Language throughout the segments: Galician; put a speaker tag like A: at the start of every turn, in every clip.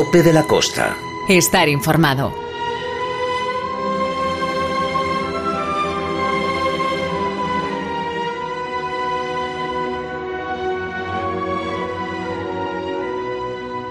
A: Tope de la Costa.
B: Estar informado.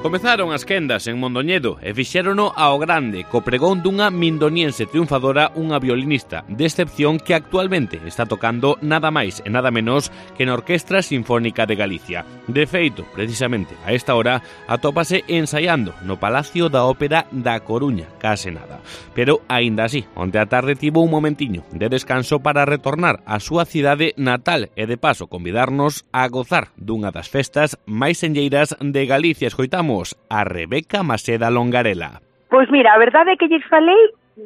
C: Comezaron as quendas en Mondoñedo e fixérono ao grande, co pregón dunha mindoniense triunfadora, unha violinista de excepción que actualmente está tocando nada máis e nada menos que na Orquestra Sinfónica de Galicia. De feito, precisamente a esta hora, atópase ensaiando no Palacio da Ópera da Coruña, case nada. Pero, aínda así, onte a tarde tivo un momentiño de descanso para retornar á súa cidade natal e de paso convidarnos a gozar dunha das festas máis senlleiras de Galicia. Escoitamos a Rebeca Maseda Longarela.
D: Pois mira, a verdade é que lles falei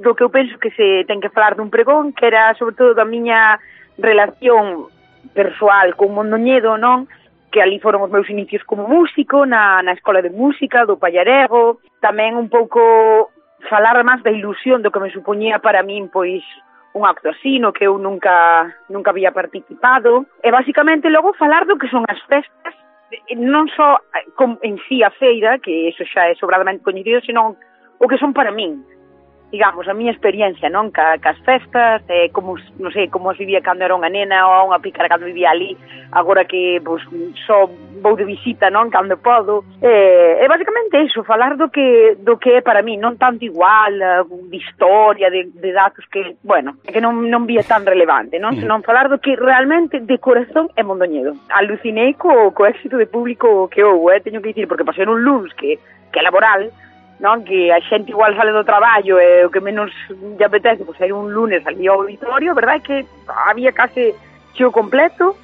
D: do que eu penso que se ten que falar dun pregón, que era sobre todo da miña relación persoal con Mondoñedo, non? Que ali foron os meus inicios como músico, na escola de música do Pallarego, tamén un pouco falar máis da ilusión do que me supoñía para min, pois, un acto así, no que eu nunca había participado, e basicamente logo falar do que son as festas, non só en sí a feira, que eso xa é sobradamente coñecido, senón o que son para min, digamos, a miña experiencia, non, cas festas, como, non sei, como as vivía cando era unha nena ou unha pícara cando vivía ali, agora que, pois, só vou de visita, non, cando podo, e basicamente iso, falar do que é para min, non tanto igual, de historia, de datos que, bueno, que non vía tan relevante, non, senón falar do que realmente de corazón é Mondoñedo. Alucinei co éxito de público que houve, teño que dicir, porque pasei un luns que é laboral, non, que a xente igual sale do traballo e o que menos lle apetece, pois ir un lunes ali ao auditorio, a verdade é que había case cheo completo,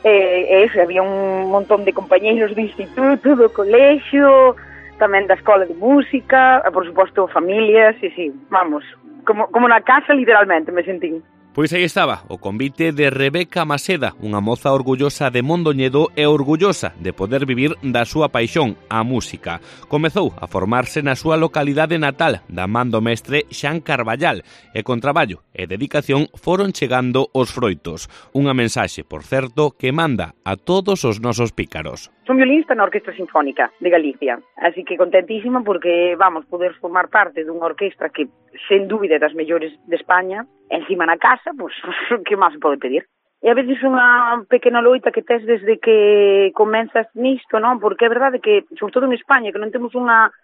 D: e eso, había un montón de compañeiros do instituto, do colexio, tamén da escola de música, e por suposto familias, e sí, vamos, como na casa literalmente me sentín.
C: Pois aí estaba o convite de Rebeca Maseda, unha moza orgullosa de Mondoñedo e orgullosa de poder vivir da súa paixón, a música. Comezou a formarse na súa localidade natal, da man do mestre Xan Carballal, e con traballo e dedicación foron chegando os froitos. Unha mensaxe, por certo, que manda a todos os nosos pícaros.
D: Son violinista na Orquestra Sinfónica de Galicia, así que contentísima porque, vamos, poder formar parte dunha orquestra que, sen dúbida, das mellores de España, encima na casa, pois, que máis se pode pedir? E a veces unha pequena loita que tes desde que comenzas nisto, non? Porque é verdade que, sobre todo en España, que non temos unha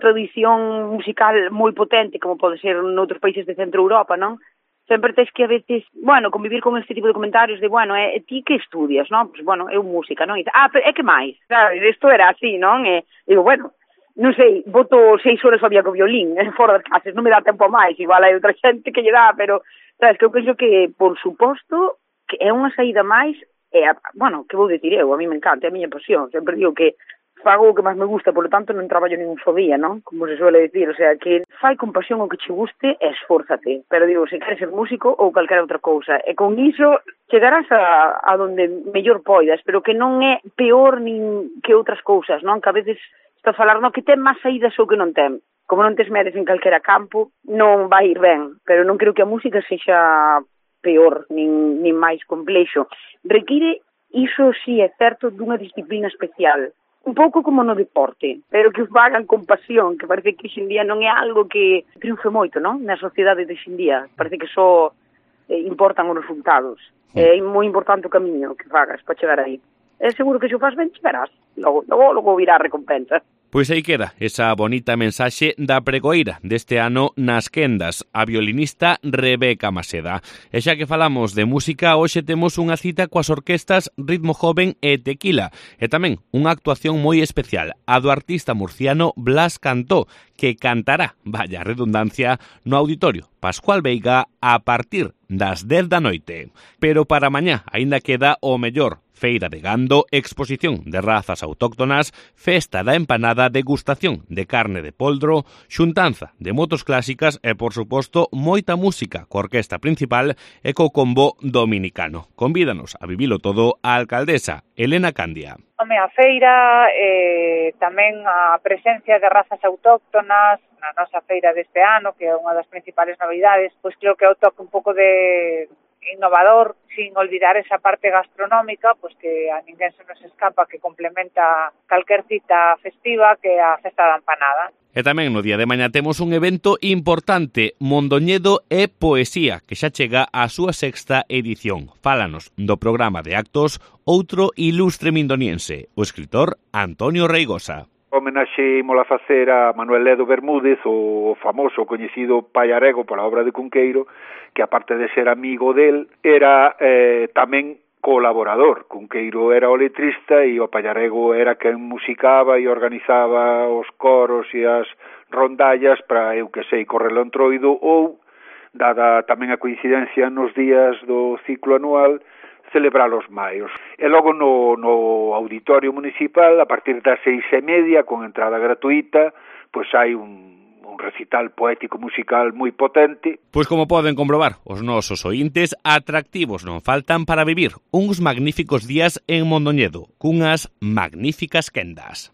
D: tradición musical moi potente, como pode ser noutros países de Centro Europa, non? Sempre tens que a veces, bueno, convivir con este tipo de comentarios de, bueno, ti que estudias, non? Pois, bueno, eu música, non? E, pero é que máis? Claro, isto era así, non? E digo, bueno, non sei, boto 6 horas ao día co violín, fora das clases, non me dá tempo a máis, igual hai outra xente que lle dá, pero, sabes, que eu penso que, por suposto, que é unha saída máis, bueno, que vou dicir eu, a mí me encanta, é a miña pasión, sempre digo que fago o que máis me gusta, por lo tanto non traballo ningún só día, non? Como se suele dicir, o sea, que fai con pasión o que che guste e esfórzate, pero digo, se queres ser músico ou calquera outra cousa, e con iso chegarás a donde mellor poidas, pero que non é peor nin que outras cousas, non? Que a veces está a falar, non, que ten máis saídas ou que non ten. Como non tes medes en calquera campo, non vai ir ben, pero non creo que a música sexa peor, nin máis complexo. Require, iso sí é certo, dunha disciplina especial. Un pouco como no deporte, pero que os fagan con pasión, que parece que hoxendía non é algo que triunfe moito, non? Na sociedade de hoxendía. Parece que só importan os resultados. É moi importante o camiño que fagas para chegar aí. É seguro que se o faz ben, chegarás. Logo virá a recompensa.
C: Pois aí queda esa bonita mensaxe da pregoeira deste ano nas quendas, a violinista Rebeca Maseda. E xa que falamos de música, hoxe temos unha cita coas orquestas Ritmo Joven e Tequila, e tamén unha actuación moi especial, a do artista murciano Blas Cantó, que cantará, vaya redundancia, no Auditorio Pascual Veiga a partir das 10 da noite. Pero para mañá aínda queda o mellor: feira de gando, exposición de razas autóctonas, festa da empanada, degustación de carne de poldro, xuntanza de motos clásicas e, por suposto, moita música coa orquesta principal e co combo dominicano. Convídanos a vivilo todo a alcaldesa Elena Candia.
E: A feira, tamén a presencia de razas autóctonas na nosa feira deste ano, que é unha das principales novidades, pois creo que é o toque un pouco de innovador, sin olvidar esa parte gastronómica, pues que a ninguén se nos escapa, que complementa calquer cita festiva, que é a festa da empanada.
C: E tamén no día de mañá temos un evento importante, Mondoñedo e Poesía, que xa chega á súa 6ª edición. Fálanos do programa de actos outro ilustre mindoniense, o escritor Antonio Reigosa.
A: Homenaxe mola facer a Manuel Ledo Bermúdez, o famoso coñecido paiarego pola obra de Cunqueiro, que aparte de ser amigo del, era tamén colaborador. Cunqueiro era o letrista e o paiarego era quen musicaba e organizaba os coros e as rondallas para, eu que sei, correlo entroido ou, dada tamén a coincidencia nos días do ciclo anual, celebrar os maios. E logo no auditorio municipal, a partir das 6:30, con entrada gratuita, pois hai un recital poético musical moi potente.
C: Pois como poden comprobar, os nosos ointes atractivos non faltan para vivir uns magníficos días en Mondoñedo, cunhas magníficas quendas.